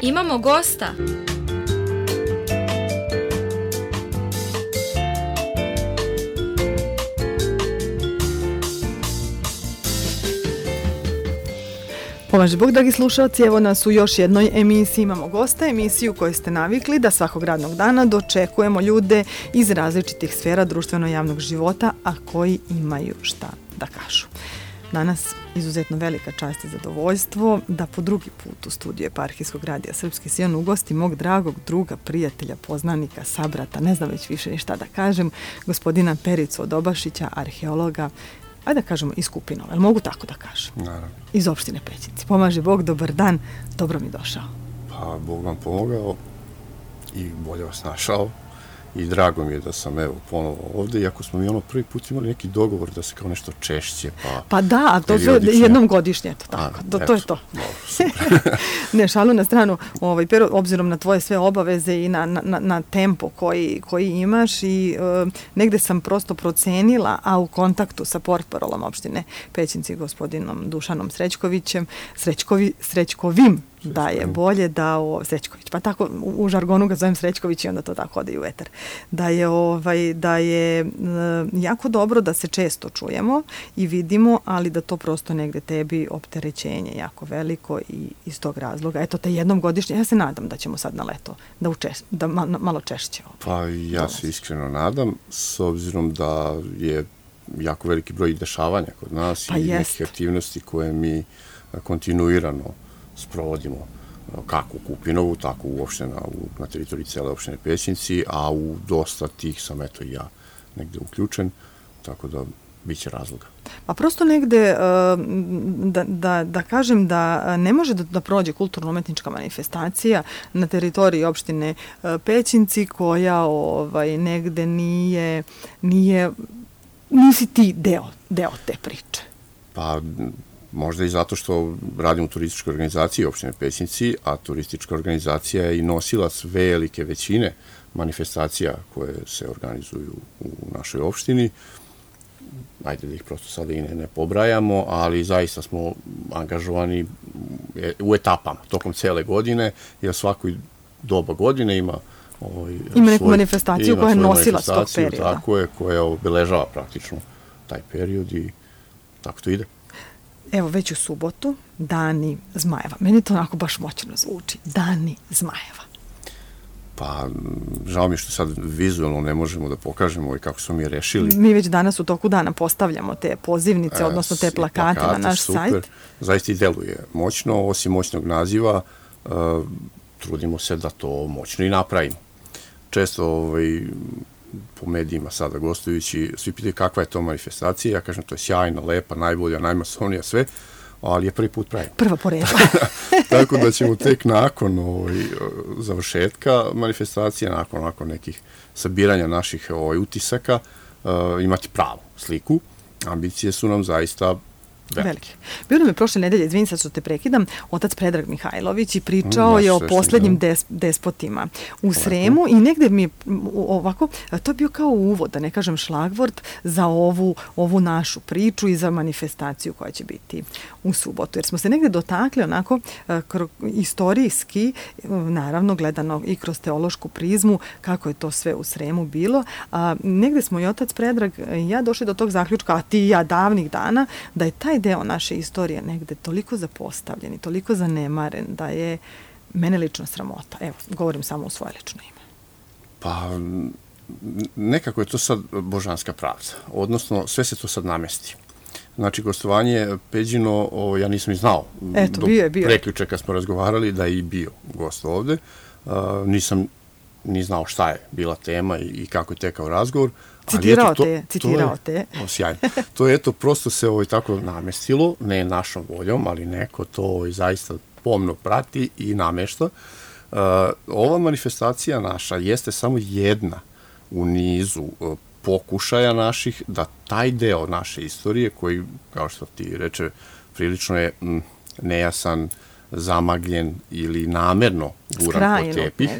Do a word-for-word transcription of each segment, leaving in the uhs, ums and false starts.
Imamo gosta. Pomaže Bog, dragi slušalci, evo nas u još jednoj emisiji. Imamo gosta, emisiju koju ste navikli da svakog radnog dana dočekujemo ljude iz različitih sfera društveno-javnog života, a koji imaju šta da kažu. Danas izuzetno velika čast i zadovoljstvo da po drugi put u studiju Eparhijskog radija Srpski Sion ugosti mog dragog druga, prijatelja, poznanika, sabrata, ne znam već više ni šta da kažem, gospodina Pericu Odobašića, arheologa, ajde da kažemo iz Kupinova, jel mogu tako da kažem? Naravno. Iz opštine Pećinci. Pomaže Bog, dobar dan, dobro mi došao. Pa, Bog vam pomogao i bolje vas našao i drago mi je da sam evo ponovo ovde, iako smo mi ono prvi put imali neki dogovor da se kao nešto češće, pa... Pa da, a to sve jednom godišnje, eto tako, a, to, to je to. Ne, šalu na stranu, ovaj, pero, obzirom na tvoje sve obaveze i na, na, na tempo koji, koji imaš i e, negde sam prosto procenila, a u kontaktu sa portparolom opštine Pećinci, gospodinom Dušanom Srećkovićem, Srećkovi, Srećkovim, da je bolje da o Srećković, pa tako u, u žargonu ga zovem Srećković i onda to tako ode i u etar. Da je ovaj da je e, jako dobro da se često čujemo i vidimo, ali da to prosto negde tebi opterećenje jako veliko i iz tog razloga. Eto te jednom godišnje, ja se nadam da ćemo sad na leto da učeš, da ma, malo češće. Ovaj, pa ja dolazi. Se iskreno nadam, s obzirom da je jako veliki broj dešavanja kod nas pa i jest. Neke aktivnosti koje mi kontinuirano sprovodimo kako u Kupinovu, tako uopšte na, na teritoriji cele opštine Pećinci, a u dosta tih sam eto i ja negde uključen, tako da bit će razloga. Pa prosto negde, da, da, da kažem da ne može da, da prođe kulturno-umetnička manifestacija na teritoriji opštine Pećinci koja ovaj, negde nije, nije, nisi ti deo, deo te priče. Pa možda i zato što radim u turističkoj organizaciji opštine Pećinci, a turistička organizacija je i nosilac velike većine manifestacija koje se organizuju u našoj opštini. Ajde da ih prosto sada i ne, ne pobrajamo, ali zaista smo angažovani u etapama tokom cele godine, jer svakoj doba godine ima ovaj, ima neku svoj, manifestaciju ima koja je nosilac tog perioda. Tako je, koja obeležava praktično taj period i tako to ide. Evo, već u subotu, Dani Zmajeva. Meni to onako baš moćno zvuči. Dani Zmajeva. Pa, žao mi je što sad vizualno ne možemo da pokažemo i kako smo mi rešili. Mi već danas u toku dana postavljamo te pozivnice, e, odnosno te plakate, plakate na naš super. Sajt. Zaista i deluje moćno, osim moćnog naziva, uh, trudimo se da to moćno i napravimo. Često ovaj, po medijima sada gostujući, svi pitaju kakva je to manifestacija, ja kažem to je sjajna, lepa, najbolja, najmasovnija, sve, ali je prvi put pravimo. Prva po redu. Tako da ćemo tek nakon ovaj, završetka manifestacije, nakon, nakon nekih sabiranja naših ovaj, utisaka, uh, imati pravu sliku. Ambicije su nam zaista velike. Bio nam je prošle nedelje, izvini sad što te prekidam, otac Predrag Mihajlović i pričao mm, je o poslednjim des, despotima u Sremu ovako. I negde mi je ovako, to je bio kao uvod, da ne kažem šlagvort, za ovu, ovu našu priču i za manifestaciju koja će biti u subotu. Jer smo se negde dotakli onako kro, istorijski, naravno gledano i kroz teološku prizmu, kako je to sve u Sremu bilo. A, negde smo i otac Predrag i ja došli do tog zaključka, a ti i ja davnih dana, da je taj deo naše istorije negde toliko zapostavljen i toliko zanemaren da je mene lično sramota. Evo, govorim samo u svoje lično ime. Pa, nekako je to sad božanska pravda. Odnosno, sve se to sad namesti. Znači, gostovanje Peđino, o, ja nisam i znao. Eto, bio je, bio. Do preključe kad smo razgovarali da je i bio gost ovde. Uh, nisam ni znao šta je bila tema i, i kako je tekao razgovor. Citirao te je, citirao te je. Sjajno. To je eto, prosto se ovo tako namestilo, ne našom voljom, ali neko to zaista pomno prati i namešta. Uh, ova manifestacija naša jeste samo jedna u nizu uh, pokušaja naših da taj deo naše istorije, koji, kao što ti reče, prilično je m, nejasan, zamagljen ili namerno guran po tepih,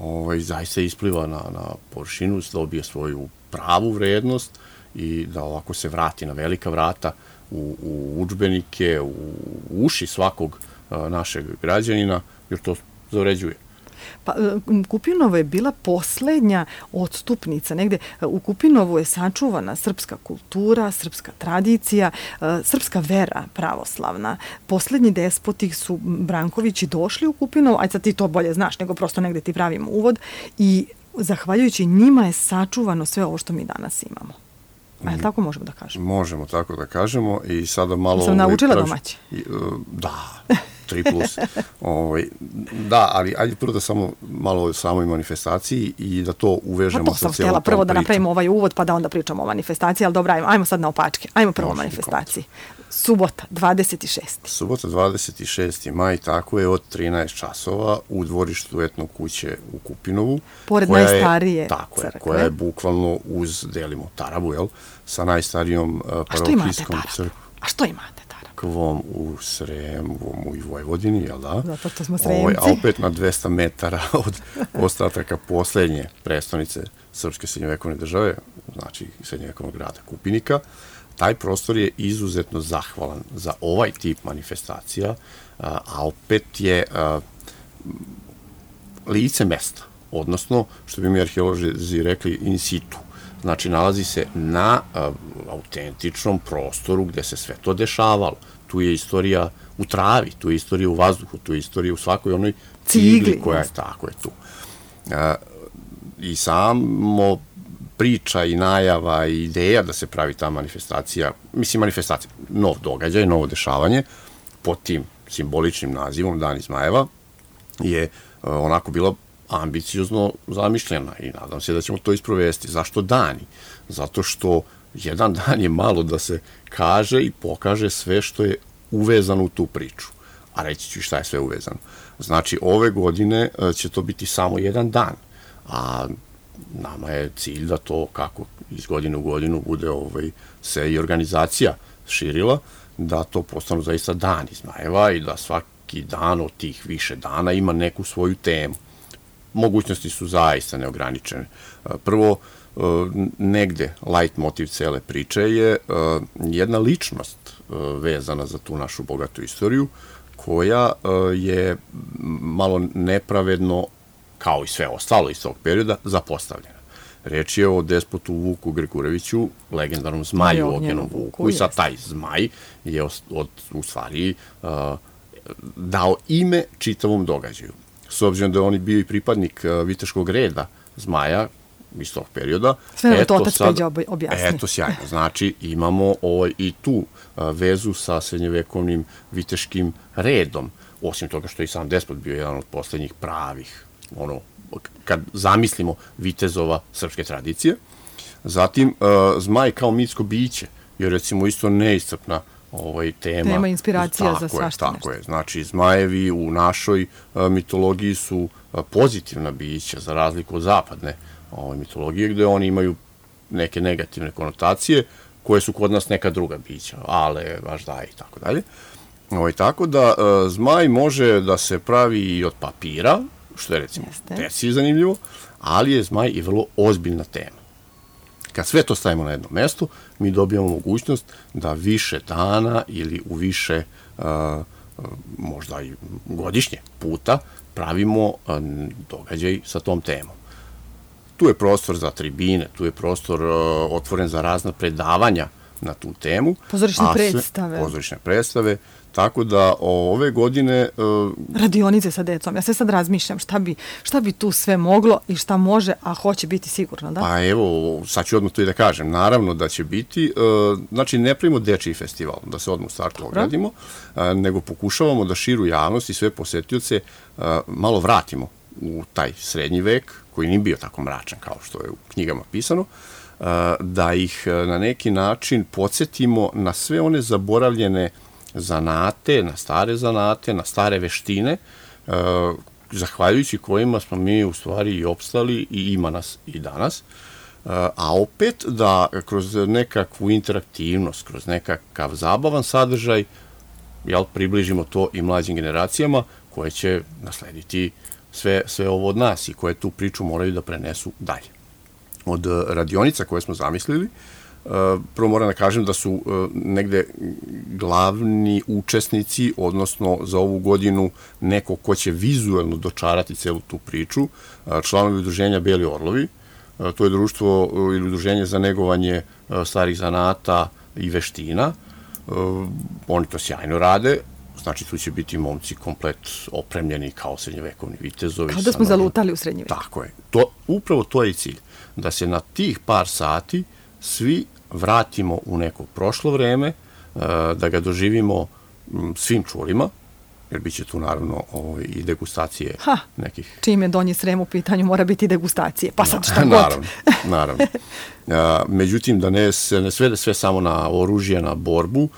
ovaj, zaista ispliva na, na površinu, dobije svoju pravu vrednost i da ovako se vrati na velika vrata u, u udžbenike, u uši svakog a, našeg građanina, jer to zavređuje. Pa, Kupinovo je bila poslednja odstupnica. Negde u Kupinovu je sačuvana srpska kultura, srpska tradicija, srpska vera pravoslavna. Poslednji despoti su Brankovići došli u Kupinovo, aj sad ti to bolje znaš, nego prosto negde ti pravimo uvod, i zahvaljujući njima je sačuvano sve ovo što mi danas imamo. A je li tako možemo da kažemo? Možemo tako da kažemo i sada malo... Sam naučila domaći? Da, tri plus. Ovaj, da, ali ajde prvo da samo malo o samoj manifestaciji i da to uvežemo pa to sa cijelom tom pričom. sam htjela prvo da napravimo ovaj uvod pa da onda pričamo o manifestaciji, ali dobro, ajmo, ajmo sad na opačke. Ajmo prvo o manifestaciji. Subota, dvadeset šesti Subota, dvadeset šesti maj, tako je, od trinaest časova u dvorištu etno kuće u Kupinovu. Pored najstarije je, tako crkve. Je, koja je bukvalno uz, delimo Tarabu, jel? Sa najstarijom uh, parohijskom crkvom. A što imate Tarabu? U Sremu i Vojvodini, jel da? Zato što smo Sremci. Ovaj, a opet na dvesta metara od ostataka poslednje prestonice Srpske srednjovekovne države, znači srednjovekovnog grada Kupinika. Taj prostor je izuzetno zahvalan za ovaj tip manifestacija, a, a opet je a, lice mesta, odnosno, što bi mi arheolozi rekli, in situ. Znači, nalazi se na a, autentičnom prostoru gde se sve to dešavalo. Tu je istorija u travi, tu je istorija u vazduhu, tu je istorija u svakoj onoj cigli koja je, tako je tu. A, I samo priča i najava i ideja da se pravi ta manifestacija, mislim manifestacija, nov događaj, novo dešavanje, pod tim simboličnim nazivom Dan Izmajeva, je onako bila ambiciozno zamišljena i nadam se da ćemo to isprovesti. Zašto dani? Zato što jedan dan je malo da se kaže i pokaže sve što je uvezano u tu priču. A reći ću šta je sve uvezano. Znači, ove godine će to biti samo jedan dan, a nama je cilj da to kako iz godine u godinu bude ovaj, se i organizacija širila, da to postanu zaista Dan Izmajeva i da svaki dan od tih više dana ima neku svoju temu. Mogućnosti su zaista neograničene. Prvo, negde light motiv cele priče je jedna ličnost vezana za tu našu bogatu istoriju, koja je malo nepravedno, kao i sve ostalo iz tog perioda, zapostavljena. Reč je o despotu Vuku Grgureviću, legendarnom zmaju Ognjenom Vuku, i sad taj zmaj je od, u stvari uh, dao ime čitavom događaju. S obzirom da je on bio i pripadnik uh, viteškog reda zmaja iz tog perioda. Sve je to otac Peđa objasnio. Eto, sjajno. Znači, imamo ovaj, i tu uh, vezu sa srednjevekovnim viteškim redom, osim toga što je i sam despot bio jedan od poslednjih pravih, ono, kad zamislimo vitezova srpske tradicije. Zatim, uh, zmaj kao mitsko biće je recimo isto neiscrpna ovaj, tema. Tema inspiracija tako za svašta nešto. Tako je. Znači, zmajevi u našoj uh, mitologiji su uh, pozitivna bića, za razliku od zapadne ovaj, mitologije, gde oni imaju neke negativne konotacije, koje su kod nas neka druga bića, ale, važdaj i tako dalje. Ovaj, tako da, uh, zmaj može da se pravi i od papira, što je recimo deci zanimljivo, ali je zmaj i vrlo ozbiljna tema. Kad sve to stavimo na jedno mesto, mi dobijamo mogućnost da više dana ili u više, uh, možda i godišnje puta, pravimo uh, događaj sa tom temom. Tu je prostor za tribine, tu je prostor uh, otvoren za razna predavanja na tu temu. Pozorišne predstave. Pozorišne predstave. Tako da ove godine... Uh, radionice sa decom. Ja se sad razmišljam šta bi, šta bi tu sve moglo i šta može, a hoće biti sigurno, da? Pa evo, sad ću odmah to i da kažem. Naravno da će biti, uh, znači ne pravimo dečiji festival, da se odmah u startu ogradimo, uh, nego pokušavamo da širu javnost i sve posetioce uh, malo vratimo u taj srednji vek, koji nije bio tako mračan kao što je u knjigama pisano, uh, da ih uh, na neki način podsjetimo na sve one zaboravljene zanate, na stare zanate, na stare veštine, uh, zahvaljujući kojima smo mi u stvari i opstali i ima nas i danas. Uh, a opet da kroz nekakvu interaktivnost, kroz nekakav zabavan sadržaj, jel, približimo to i mlađim generacijama koje će naslediti sve, sve ovo od nas i koje tu priču moraju da prenesu dalje. Od radionica koje smo zamislili, prvo moram da kažem da su negde glavni učesnici, odnosno za ovu godinu neko ko će vizuelno dočarati celu tu priču, članovi udruženja Beli orlovi. To je društvo ili udruženje za negovanje starih zanata i veština. Oni to sjajno rade. Znači, tu će biti momci komplet opremljeni kao srednjevekovni vitezovi. Kao da smo zalutali u srednji vek. Tako je. To, upravo to je i cilj. Da se na tih par sati svi vratimo u neko prošlo vreme, da ga doživimo svim čulima, jer bit će tu naravno i degustacije ha, nekih... Čim je Donji Srem u pitanju, mora biti degustacije. Pa sad šta god. Naravno, naravno. Međutim, da ne se ne svede sve samo na oružje, na borbu,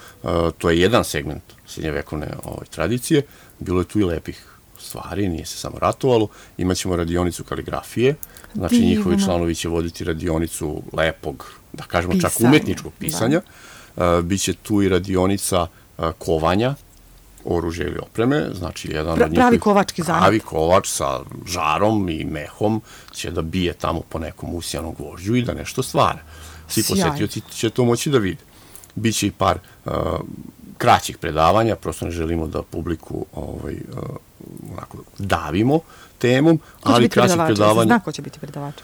to je jedan segment srednjevekovne tradicije. Bilo je tu i lepih stvari, nije se samo ratovalo. Imaćemo radionicu kaligrafije, znači njihovi članovi će voditi radionicu lepog, da kažemo čak umetničkog pisanja. Biće tu i radionica kovanja, oružje ili opreme, znači jedan od njihovih... Pravi kovački zanat. Pravi kovač sa žarom i mehom će da bije tamo po nekom usijanom gvožđu i da nešto stvara. Svi posetioci će to moći da vide. Biće i par uh, kraćih predavanja, prosto ne želimo da publiku ovaj, uh, onako, davimo temom, ali kraćih predavanja... Zna ko će biti predavač?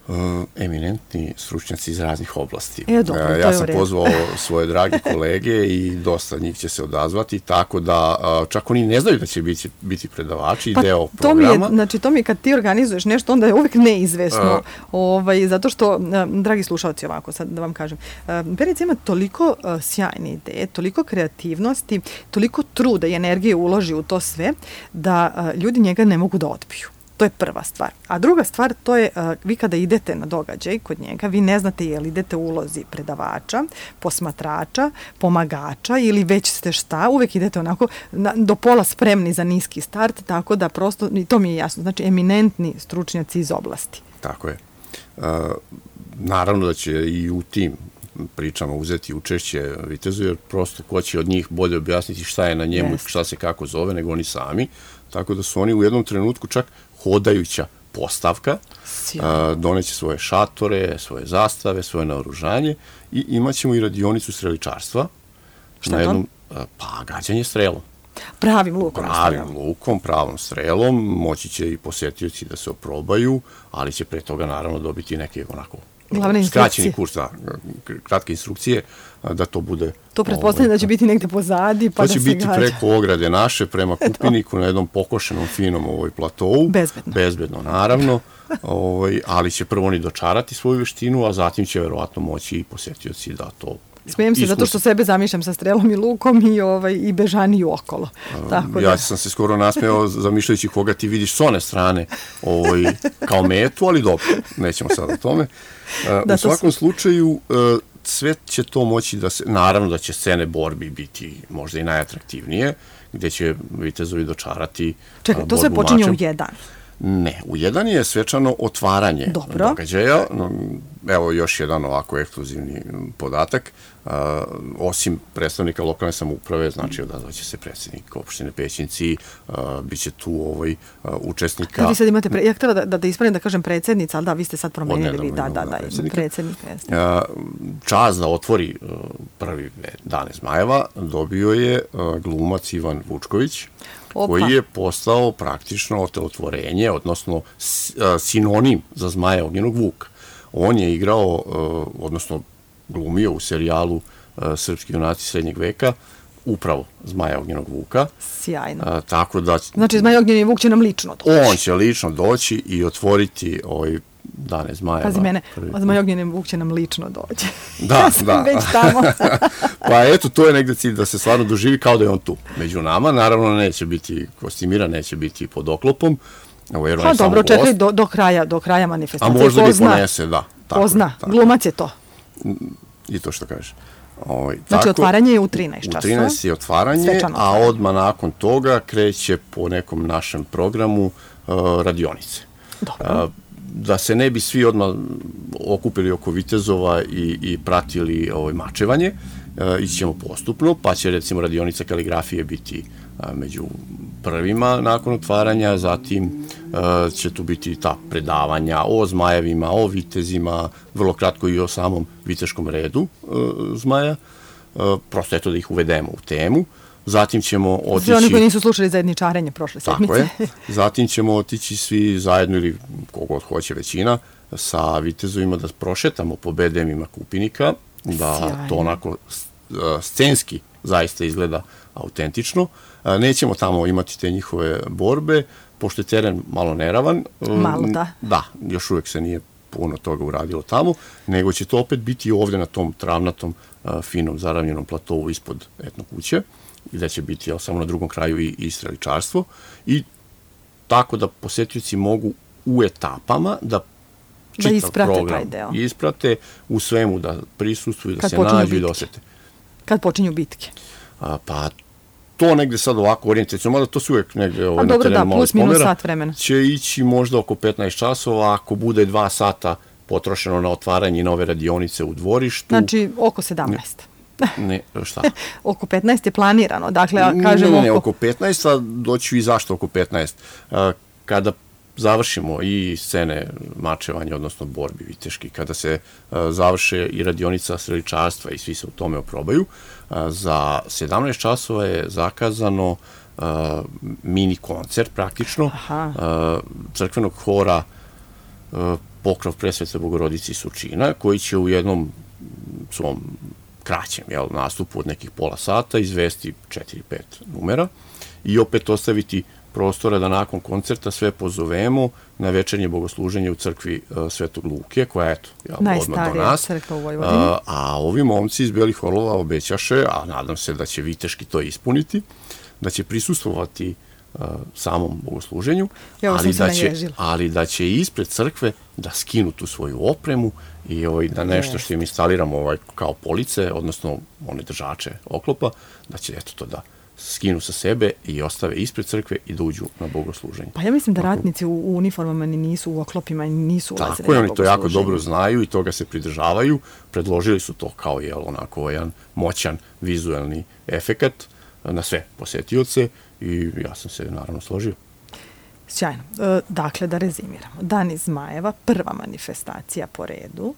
Uh, eminentni stručnjaci iz raznih oblasti. E, dobro, uh, ja sam pozvao svoje drage kolege i dosta njih će se odazvati, tako da uh, čak oni ne znaju da će biti, biti predavači i pa deo to programa. Mi je, znači, to mi je kad ti organizuješ nešto, onda je uvek neizvesno. Uh, ovaj, zato što, uh, dragi slušalci, ovako sad da vam kažem, uh, Perica ima toliko uh, sjajne ideje, toliko kreativnosti, toliko truda i energije uloži u to sve, da uh, ljudi njega ne mogu da odbiju. To je prva stvar. A druga stvar, to je, uh, vi kada idete na događaj kod njega, vi ne znate je li idete u ulozi predavača, posmatrača, pomagača ili već ste šta, uvek idete onako na, do pola spremni za niski start, tako da prosto, i to mi je jasno, znači eminentni stručnjaci iz oblasti. Tako je. Uh, naravno da će i u tim pričama uzeti učešće vitezu, jer prosto ko će od njih bolje objasniti šta je na njemu i yes. šta se kako zove, nego oni sami. Tako da su oni u jednom trenutku čak hodajuća postavka, a, doneće svoje šatore, svoje zastave, svoje naoružanje i imat ćemo i radionicu streličarstva. Šta na je jednom, to? Pa, gađanje strelom. Pravim lukom. Pravim lukom, pravom strelom, moći će i posetioci da se oprobaju, ali će pre toga naravno dobiti neke onako skraćeni kurs, da, kratke instrukcije, da to bude... To pretpostavljam da će biti negde pozadi, pa da se gađa. To će biti preko ograde naše, prema Kupiniku, na jednom pokošenom, finom ovoj platovu. Bezbedno. Bezbedno, naravno. Ovaj, ali će prvo oni dočarati svoju veštinu, a zatim će verovatno moći i posetioci da to... Smijem se zato što sebe zamišljam sa strelom i lukom i, ovaj, i bežaniju okolo. Tako ja da. sam se skoro nasmeo zamišljajući koga ti vidiš s one strane ovaj, kao metu, ali dobro, nećemo sad o tome. Da, u svakom su... slučaju, sve će to moći da se, naravno da će scene borbi biti možda i najatraktivnije, gde će vitezovi dočarati. Čekaj, to sve počinje u jedan. Ne, u jedan je svečano otvaranje Dobro. događaja. Evo još jedan ovako ekskluzivni podatak. Uh, osim predstavnika lokalne samouprave, znači odazvaće se predsjednik opštine Pećinci, uh, bit će tu ovaj, uh, učesnika... Da, vi sad imate, pre... ja htjela da, da, da ispravim da kažem predsjednica, ali da, vi ste sad promenili, vi, da, da, da, predsjednik. Uh, čast da otvori uh, prvi Dane Zmajeva dobio je uh, glumac Ivan Vučković, Opa. koji je postao praktično otelotvorenje, odnosno sinonim za Zmaja Ognjenog Vuka. On je igrao, odnosno glumio u serijalu Srpski junaci srednjeg veka, upravo Zmaja Ognjenog Vuka. Sjajno. A, tako da... Znači, Zmaj Ognjeni Vuk će nam lično doći. On će lično doći i otvoriti ovaj Dane Zmajeva. Pazi mene, Zmaj Ognjeni Vuk će nam lično doći. Da, ja sam da. već tamo. Pa eto, to je negde cilj da se stvarno doživi kao da je on tu među nama. Naravno, neće biti kostimiran, neće biti pod oklopom. Evo, jer on ha, dobro, čekaj do, do, kraja, do kraja manifestacije. A možda bi ponese, da. Tako, pozna, tako. Glumac je to. I to što kažeš. Ovaj, znači, tako, otvaranje je u trinaest časova. U trinaest je otvaranje, Svečano a odmah nakon toga kreće po nekom našem programu uh, radionice. Dobro. Uh, da se ne bi svi odmah okupili oko vitezova i, i pratili ovaj, mačevanje, uh, ići ćemo postupno, pa će recimo radionica kaligrafije biti uh, među prvima nakon otvaranja, zatim će tu biti ta predavanja o zmajevima, o vitezima, vrlo kratko i o samom viteškom redu zmaja, prosto eto da ih uvedemo u temu. Zatim ćemo otići... Svi oni koji nisu slušali zajedničarenje prošle sedmice. Tako je. Zatim ćemo otići svi zajedno ili kogod hoće većina sa vitezovima da prošetamo po bedemima Kupinika, da Sjajno. To onako scenski zaista izgleda autentično. Nećemo tamo imati te njihove borbe, pošto je teren malo neravan. Malo, da. Da, još uvijek se nije puno toga uradilo tamo, nego će to opet biti ovde na tom travnatom, finom, zaravnjenom platovu ispod etno kuće, gde će biti jel, samo na drugom kraju i, i streličarstvo. I tako da posetioci mogu u etapama da čitav da isprate program taj deo. Isprate u svemu, da prisustvuju, da Kad se nađu i da osete. Kad počinju bitke? A, pa to negde sad ovako orijentacijno, mada to su uvijek negde ovaj, dobro, na terenu da, malo plus minus spomera, sat vremena. Će ići možda oko petnaest časova, ako bude dva sata potrošeno na otvaranje nove radionice u dvorištu. Znači, oko sedamnaest. Ne, šta? Oko petnaest je planirano, dakle, kažemo ne, ne, ne, oko... oko petnaest, a doću i zašto oko petnaest. Kada završimo i scene mačevanja, odnosno borbi viteški, kada se završe i radionica streličarstva i svi se u tome oprobaju, za sedamnaest časova je zakazano mini koncert praktično crkvenog hora Pokrov Presvete Bogorodice i Surčina, koji će u jednom svom kraćem jel, nastupu od nekih pola sata izvesti četiri pet numera i opet ostaviti prostora da nakon koncerta sve pozovemo na večernje bogosluženje u crkvi uh, Svetog Luke, koja je eto, jel, odmah do nas. Crkva u Vojvodini. Uh, a ovi momci iz Belih Orlova obećaše, a nadam se da će viteški to ispuniti, da će prisustvovati uh, samom bogosluženju, ali da, će, ali da će ispred crkve da skinu tu svoju opremu i ovaj, da nešto što im instaliramo ovaj, kao police, odnosno one držače oklopa, da će eto to da skinu sa sebe i ostave ispred crkve i da uđu na bogosluženje. Pa ja mislim da ratnici u, u uniformama ni nisu, u oklopima nisu ulazili na bogosluženje. Tako je, oni to jako dobro znaju i toga se pridržavaju. Predložili su to kao jel, onako jedan moćan vizuelni efekat na sve posetioce i ja sam se naravno složio. Sjajno. E, dakle, da rezimiramo. Dan iz Zmajeva, prva manifestacija po redu.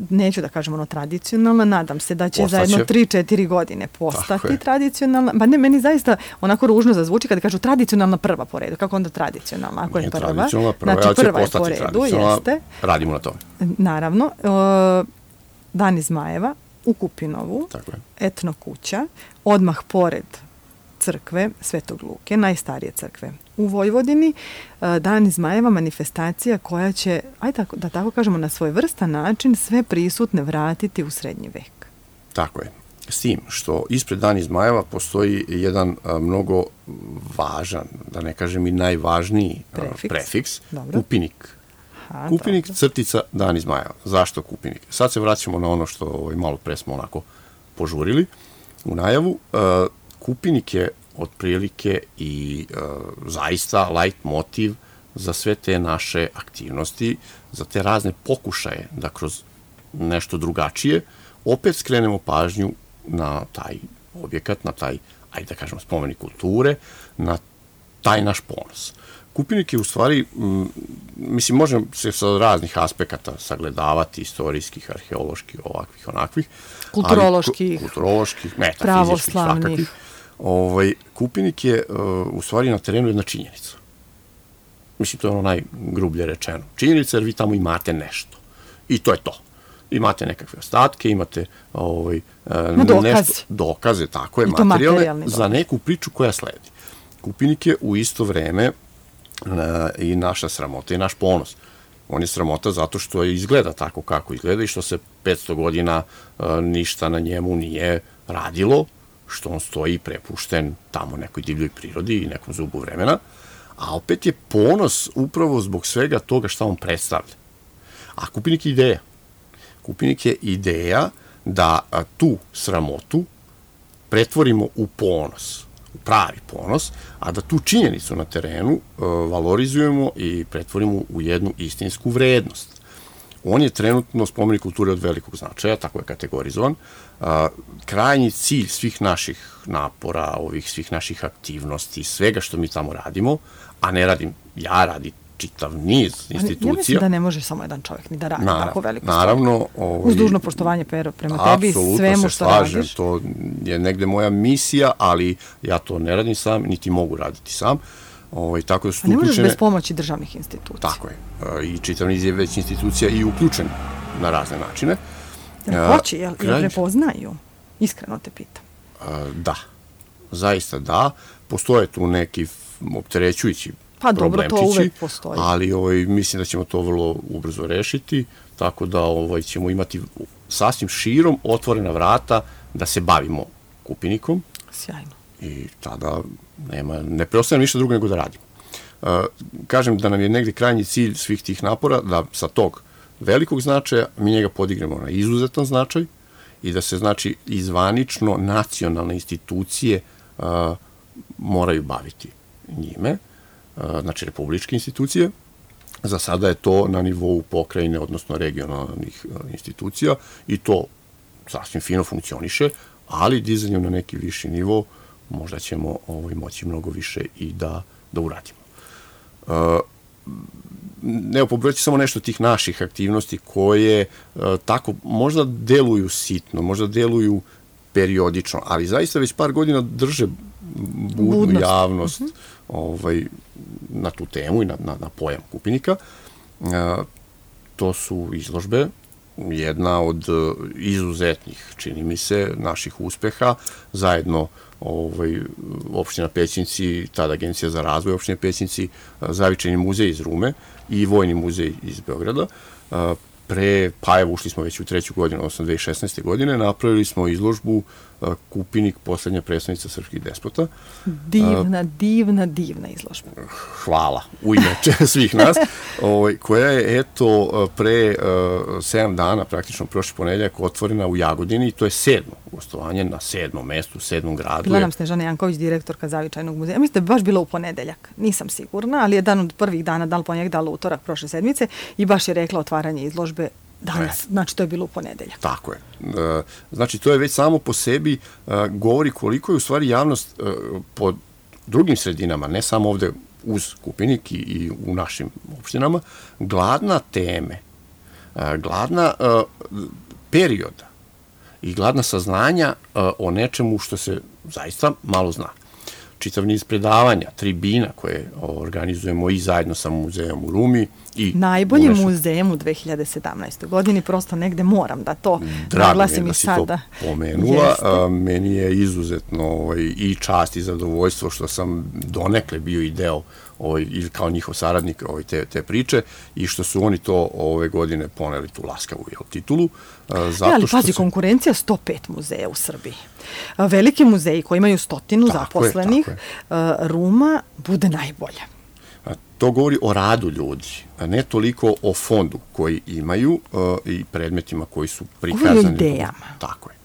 Neću da kažem ono tradicionalna, nadam se da će Postaće. za jedno tri četiri godine postati tradicionalna. Pa ne, meni zaista onako ružno zazvuči kada kažu tradicionalna prva po redu. Kako onda tradicionalna? Ako je prva? Tradicionalna prva, znači, ja će prva postati je po redu, jeste. Radimo na tome. Naravno. E, Dan iz Zmajeva u Kupinovu, etno kuća, odmah pored crkve Svetog Luke, najstarije crkve u Vojvodini, Dan iz Zmajeva, manifestacija koja će, aj tako, da tako kažemo, na svoj vrstan način sve prisutne vratiti u srednji vek. Tako je. S tim što ispred Dan iz Zmajeva postoji jedan a, mnogo važan, da ne kažem i najvažniji prefiks, a, prefiks Kupinik. Aha, Kupinik, dobro. Crtica, Dan iz Zmajeva. Zašto Kupinik? Sad se vraćamo na ono što ovaj, malo pre smo onako požurili u najavu. A, Kupinik je otprilike i e, zaista light motiv za sve te naše aktivnosti, za te razne pokušaje da kroz nešto drugačije opet skrenemo pažnju na taj objekat, na taj, ajde da kažemo, spomenik kulture, na taj naš ponos. Kupinik je u stvari, m, mislim, možemo se sa raznih aspekata sagledavati, istorijskih, arheoloških, ovakvih, onakvih. Kulturoloških. Ali, kulturoloških, metafizičkih, svakakih. Ovaj, Kupinik je uh, u stvari na terenu jedna činjenica. Mislim, to je ono najgrublje rečeno. Činjenica jer vi tamo imate nešto. I to je to. Imate nekakve ostatke, imate ovaj, uh, dokaz. nešto, dokaze, tako je, materijalne, za neku priču koja sledi. Kupinik je u isto vreme uh, i naša sramota i naš ponos. On je sramota zato što izgleda tako kako izgleda i što se petsto godina uh, ništa na njemu nije radilo, što on stoji prepušten tamo nekoj divljoj prirodi i nekom zubu vremena, a opet je ponos upravo zbog svega toga što on predstavlja. A Kupinik je ideja. Kupinik je ideja da tu sramotu pretvorimo u ponos, u pravi ponos, a da tu činjenicu na terenu uh, valorizujemo i pretvorimo u jednu istinsku vrednost. on je trenutno spomenik kulture od velikog značaja, tako je kategorizovan. A, krajnji cilj svih naših napora, ovih svih naših aktivnosti, svega što mi tamo radimo, a ne radim ja, radi čitav niz institucija. Ja mislim da ne može samo jedan čovjek ni da radi Narav, tako veliko stvar. Naravno. Ovaj, uz dužno poštovanje Pero prema tebi i svemu što slažem, radiš. To je negde moja misija, ali ja to ne radim sam, niti mogu raditi sam. Ovaj, tako da su a ne možeš uključene, bez pomoći državnih institucija. Tako je. I čitav niz je već institucija i uključen na razne načine. Jel hoće, jel, jel prepoznaju? Iskreno te pitam. Da, zaista da. Postoje tu neki opterećujući pa dobro, to uvek postoji. Ali ovaj, mislim da ćemo to vrlo ubrzo rešiti, tako da ovaj, ćemo imati sasvim širom otvorena vrata da se bavimo Kupinikom. Sjajno. I tada nema, ne preostaje ništa drugo nego da radimo. Uh, kažem da nam je negde krajnji cilj svih tih napora da sa tog velikog značaja mi njega podignemo na izuzetan značaj i da se, znači, izvanično nacionalne institucije uh, moraju baviti njime, uh, znači republičke institucije. Za sada je to na nivou pokrajine, odnosno regionalnih uh, institucija i to sasvim fino funkcioniše, ali dizanjem na neki viši nivo možda ćemo ovaj, moći mnogo više i da, da uradimo. Uh, Evo, pobrojati samo nešto tih naših aktivnosti koje uh, tako možda deluju sitno, možda deluju periodično, ali zaista već par godina drže budnu Budnost. javnost uh-huh. ovaj, na tu temu i na, na, na pojam Kupinika. Uh, to su izložbe, jedna od uh, izuzetnih, čini mi se, naših uspeha, zajedno ovaj, opština Pećinci, tada Agencija za razvoj opštine Pećinci, Zavičajni muzej iz Rume i Vojni muzej iz Beograda. Pre, pa evo, ušli smo već u treću godinu, odnosno dve hiljade šesnaeste. godine, napravili smo izložbu Kupinik, poslednja predstavnica srpskih despota. Divna, divna, divna izložba. Hvala, u ime svih nas, ovaj, koja je, eto, pre uh, sedam dana, praktično prošli ponedeljak, otvorena u Jagodini i to je sedmo gostovanje na sedmom mestu, u sedmom gradu. Bila nam Snežana Janković, direktorka Zavičajnog muzeja. Mislim da je baš bilo u ponedeljak, nisam sigurna, ali jedan od prvih dana, da li ponedjeljak, da li utorak prošle sedmice i baš je rekla otvaranje izložbe danas, znači to je bilo u ponedeljak. Tako je. Znači to je već samo po sebi govori koliko je u stvari javnost po drugim sredinama, ne samo ovde uz Kupinik i, i u našim opštinama, gladna teme, gladna perioda i gladna saznanja o nečemu što se zaista malo zna. Čitav niz predavanja, tribina koje organizujemo i zajedno sa muzejom u Rumi. I najbolji unešu... muzejem u dve hiljade sedamnaestoj. godini, prosto negde moram da to naglasim i sada. Drago mi je da si to pomenula. A, meni je izuzetno ovaj, i čast i zadovoljstvo što sam donekle bio i deo ovaj, ili kao njihov saradnik ovaj, te, te priče i što su oni to ove godine poneli tu laskavu jel, titulu. A, zato ja, ali pazi, se... konkurencija sto pet muzeja u Srbiji. A, veliki muzeji koji imaju stotinu tako zaposlenih, je, a, Ruma bude najbolja. To govori o radu ljudi, a ne toliko o fondu koji imaju uh, i predmetima koji su prikazani. Govori o idejama. Tako je.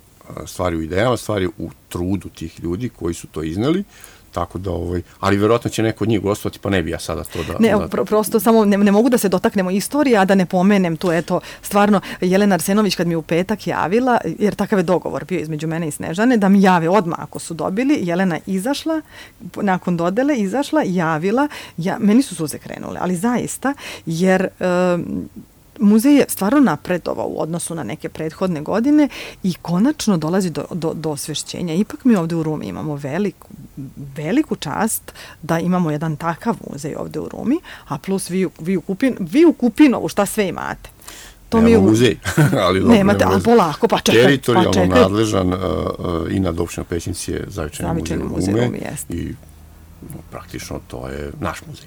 Stvari u idejama, stvari u trudu tih ljudi koji su to izneli. Tako da, ovaj, ali verovatno će neko od njih gostovati, pa ne bi ja sada to da... Ne, da... Pro, prosto samo ne, ne mogu da se dotaknemo istorije, a da ne pomenem tu, eto, stvarno, Jelena Arsenović kad mi u petak javila, jer takav je dogovor bio između mene i Snežane, da mi jave odmah ako su dobili, Jelena izašla, nakon dodele izašla, javila, ja, meni su suze krenule, ali zaista, jer... Um, muzej je stvarno napredovao u odnosu na neke prethodne godine i konačno dolazi do, do, do osvešćenja. Ipak mi ovde u Rumi imamo veliku, veliku čast da imamo jedan takav muzej ovde u Rumi, a plus vi, vi, u, Kupin, vi u Kupinovu šta sve imate. To nemamo mi u... muzej, ali dobro. Nemate, ali polako, pa čekaj. Teritorijalno pa čekaj. nadležan uh, uh, i nad opštinom Pećinci je Zavičajni muzej u Rumi i no, praktično to je naš muzej.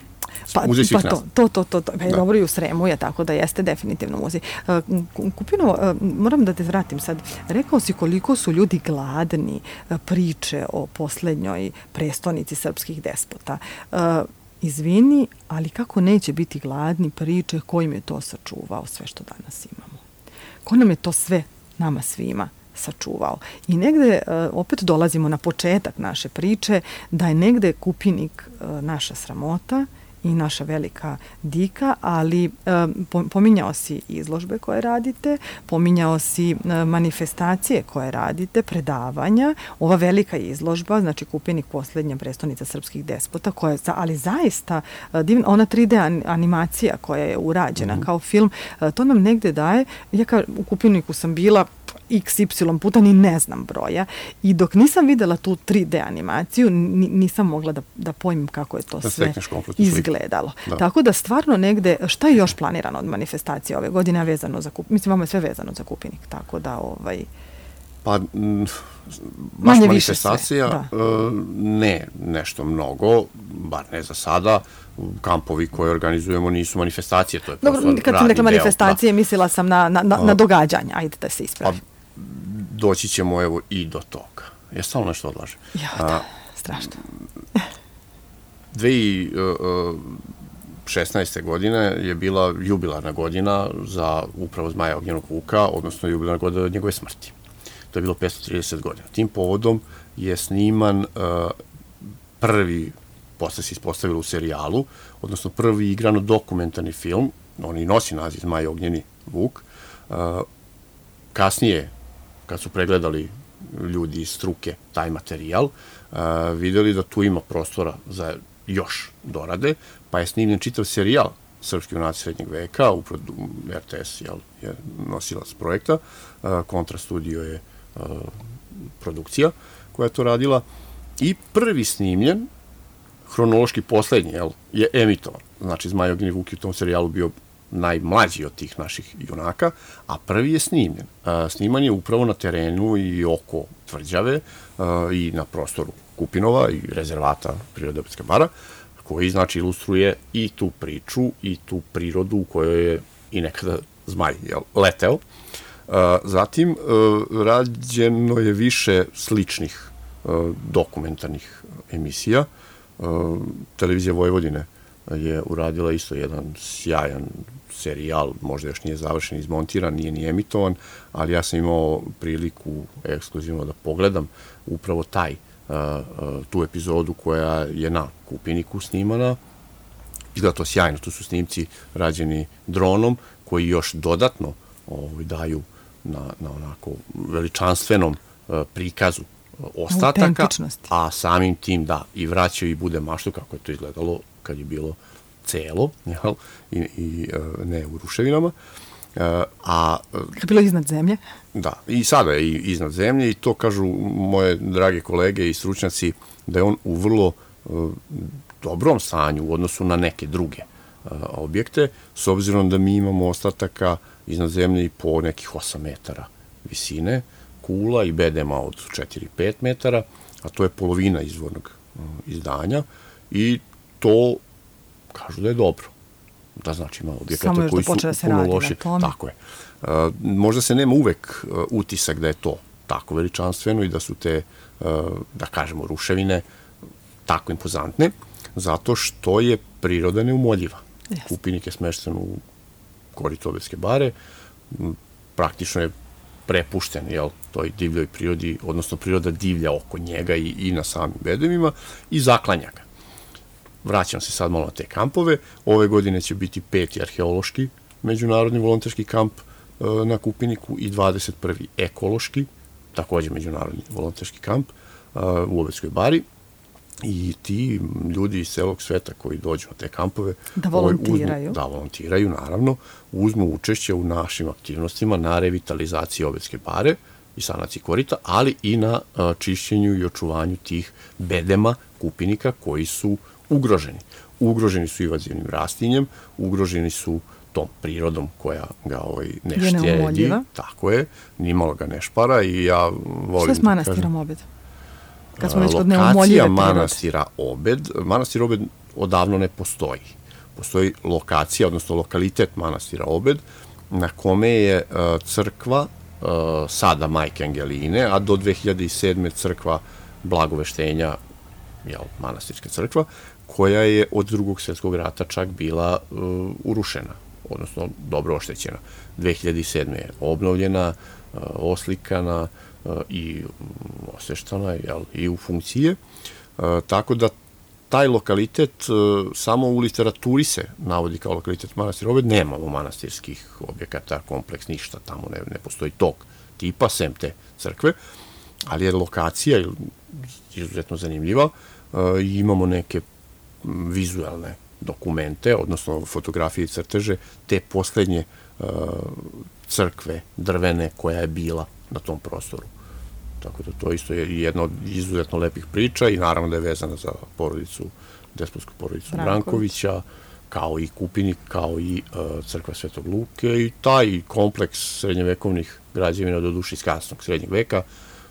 Pa, pa to, to, to, to, to. Pa je dobro i u Sremu je, tako da jeste definitivno muzej. Kupino, moram da te vratim sad. Rekao si koliko su ljudi gladni priče o poslednjoj prestonici srpskih despota. Izvini, ali kako neće biti gladni priče kojim je to sačuvao sve što danas imamo? Ko nam je to sve nama svima sačuvao? I negde opet dolazimo na početak naše priče da je negde Kupinik naša sramota i naša velika dika, ali pominjao si izložbe koje radite, pominjao si manifestacije koje radite, predavanja, ova velika izložba, znači Kupinik, posljednja prestonica srpskih despota, koja je, ali zaista divna, ona tri D animacija koja je urađena mm-hmm. kao film, to nam negde daje, ja kao u Kupiniku sam bila iks ipsilon puta, ni ne znam broja. I dok nisam videla tu tri D animaciju, nisam mogla da, da pojmim kako je to da sve izgledalo. Da. Tako da stvarno negde, šta je još planirano od manifestacije ove godine, vezano za Kupinik? Mislim, vama je sve vezano za Kupinik, tako da ovaj... Pa, m, baš manje manifestacija, ne nešto mnogo, bar ne za sada. Kampovi koje organizujemo nisu manifestacije, to je prosto radni deo. Kad sam rekla manifestacije, da. mislila sam na, na, na događanja, ajde da se ispravi. Pa, doći ćemo evo i do toga. Ja stalno nešto odlažem. Ja, da, strašno. dve hiljade šesnaeste. godine je bila jubilarna godina za upravo Zmaja Ognjenog Vuka, odnosno jubilarna godina od njegove smrti. To je bilo petsto trideset godina. Tim povodom je sniman uh, prvi, posle se ispostavilo u serijalu, odnosno prvi igrano dokumentarni film, on i nosi naziv Zmaj Ognjeni Vuk. Uh, kasnije, kad su pregledali ljudi iz struke taj materijal, uh, videli da tu ima prostora za još dorade, pa je snimljen čitav serijal Srpski junaci srednjeg veka, upravo er te es jel, je nosilac projekta, uh, Kontra studio je uh, produkcija koja je to radila, i prvi snimljen, hronološki poslednji, jel, je emitovan. Znači, Zmaj Ognjeni Vuk je u tom serijalu bio najmlađi od tih naših junaka, a prvi je snimljen. Uh, sniman je upravo na terenu i oko Tvrđave uh, i na prostoru Kupinova i rezervata Prirode Obedska bara, koji, znači, ilustruje i tu priču i tu prirodu u kojoj je i nekada Zmaj jel, leteo. Uh, zatim, uh, rađeno je više sličnih uh, dokumentarnih emisija. Uh, Televizija Vojvodine je uradila isto jedan sjajan serijal, možda još nije završen, izmontiran, nije ni emitovan, ali ja sam imao priliku ekskluzivno da pogledam upravo taj tu epizodu koja je na Kupiniku snimana. Izgleda to sjajno, tu su snimci rađeni dronom koji još dodatno ovaj, daju na, na onako veličanstvenom prikazu ostataka, a samim tim da i vraćaju i bude maštu kako je to izgledalo kad je bilo celo, jel, i, i ne u ruševinama. A, kad je bilo iznad zemlje? Da, i sada je iznad zemlje i to kažu moje drage kolege i stručnjaci da je on u vrlo uh, dobrom stanju u odnosu na neke druge uh, objekte, s obzirom da mi imamo ostataka iznad zemlje i po nekih osam metara visine, kula i bedema od četiri do pet metara, a to je polovina izvornog uh, izdanja i to kažu da je dobro. Da, znači ima objekata koji su puno loši. Tako je. Uh, možda se nema uvek uh, utisak da je to tako veličanstveno i da su te, uh, da kažemo, ruševine tako impozantne, zato što je priroda neumoljiva. Yes. Kupinik je smešten u koritu Obedske bare, praktično je prepušten, jel, toj divljoj prirodi, odnosno priroda divlja oko njega i, i na samim bedemima i zaklanja ga. Vraćam se sad malo na te kampove. Ove godine će biti peti arheološki međunarodni volonterski kamp e, na Kupiniku i dvadeset prvi ekološki, takođe međunarodni volonterski kamp e, u Obedskoj bari. I ti ljudi iz celog sveta koji dođu na te kampove da volontiraju, ovaj, uzmu, da volontiraju, naravno, uzmu učešće u našim aktivnostima na revitalizaciji Obedske bare i sanaciji korita, ali i na a, čišćenju i očuvanju tih bedema Kupinika koji su ugroženi. Ugroženi su invazivnim rastinjem, ugroženi su tom prirodom koja ga ovaj, ne štedi. Tako je, nimalo ga ne špara i ja volim... Što je s manastirom Obed? Kad smo već kod lokacija manastira Obed, manastir Obed odavno ne postoji. Postoji lokacija, odnosno lokalitet manastira Obed, na kome je uh, crkva uh, sada Majke Angeline, a do dve hiljade sedme crkva Blagoveštenja, jel, manastirska crkva, koja je od Drugog svjetskog rata čak bila uh, urušena, odnosno dobro oštećena. dve hiljade sedme je obnovljena, uh, oslikana uh, i osveštana, jel, i u funkcije. Uh, tako da taj lokalitet samo u literaturi se navodi kao lokalitet manastira Obed, nemamo manastirskih objekata, kompleks, ništa tamo, ne, ne postoji tog tipa, sem te crkve, ali je lokacija izuzetno zanimljiva i imamo neke vizualne dokumente, odnosno fotografije i crteže te poslednje crkve drvene koja je bila na tom prostoru. Tako da to isto je jedna od izuzetno lepih priča i naravno da je vezana za porodicu, despotsku porodicu Brankovića, kao i Kupinik, kao i uh, crkva Svetog Luke i taj kompleks srednjevekovnih građevina do duše iz kasnog srednjeg veka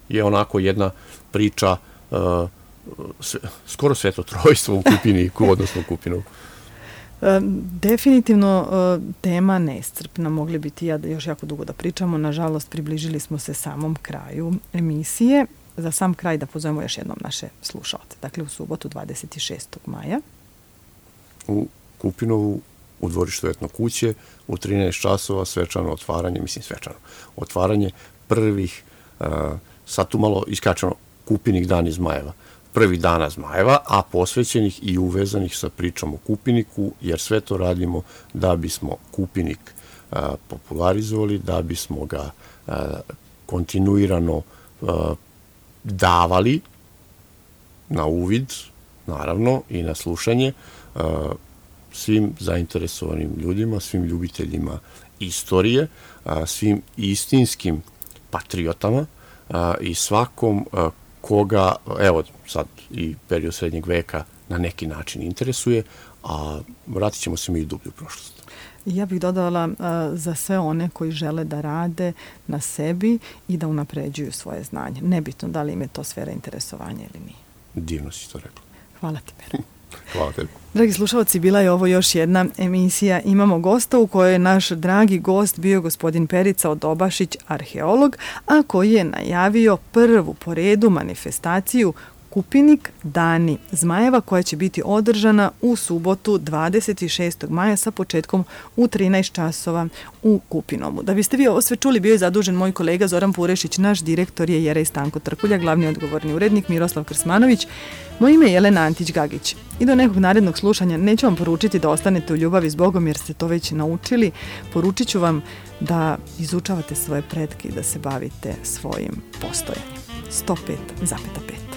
je onako jedna priča uh, sve, skoro svetotrojstvo u Kupiniku, odnosno u Kupinu. Definitivno tema neiscrpna, mogli biti ja još jako dugo da pričamo, nažalost približili smo se samom kraju emisije. Za sam kraj da pozovemo još jednom naše slušalce, dakle u subotu dvadeset šestog maja. U Kupinovu, u dvorištu Etno kuće, u trinaest časova svečano otvaranje, mislim svečano, otvaranje prvih, uh, sad tu malo iskačeno, Kupinik dan iz Zmajeva, prvi dana Zmajeva, a posvećenih i uvezanih sa pričom o Kupiniku, jer sve to radimo da bismo Kupinik a, popularizovali, da bismo ga a, kontinuirano a, davali na uvid, naravno, i na slušanje a, svim zainteresovanim ljudima, svim ljubiteljima istorije, a, svim istinskim patriotama a, i svakom a, koga, evo sad i period srednjeg veka na neki način interesuje, a vratit ćemo se mi i dublju prošlost. Ja bih dodala uh, za sve one koji žele da rade na sebi i da unapređuju svoje znanje. Nebitno da li im je to sfera interesovanja ili nije. Divno si to rekla. Hvala ti, Pera. Hvala tebi. Dragi slušalci, bila je ovo još jedna emisija Imamo gosta u kojoj je naš dragi gost bio gospodin Perica Odobašić, arheolog, a koji je najavio prvu po redu manifestaciju Kupinik Dani Zmajeva koja će biti održana u subotu dvadeset šestog maja sa početkom u trinaest časova u Kupinomu. Da biste vi ovo sve čuli, bio je zadužen moj kolega Zoran Purešić, naš direktor je Jerej Stanko Trkulja, glavni odgovorni urednik Miroslav Krsmanović. Moje ime je Jelena Antić-Gagić. I do nekog narednog slušanja neću vam poručiti da ostanete u ljubavi s Bogom jer ste to već naučili. Poručit ću vam da izučavate svoje pretke i da se bavite svojim postojanjem. sto pet zarez pet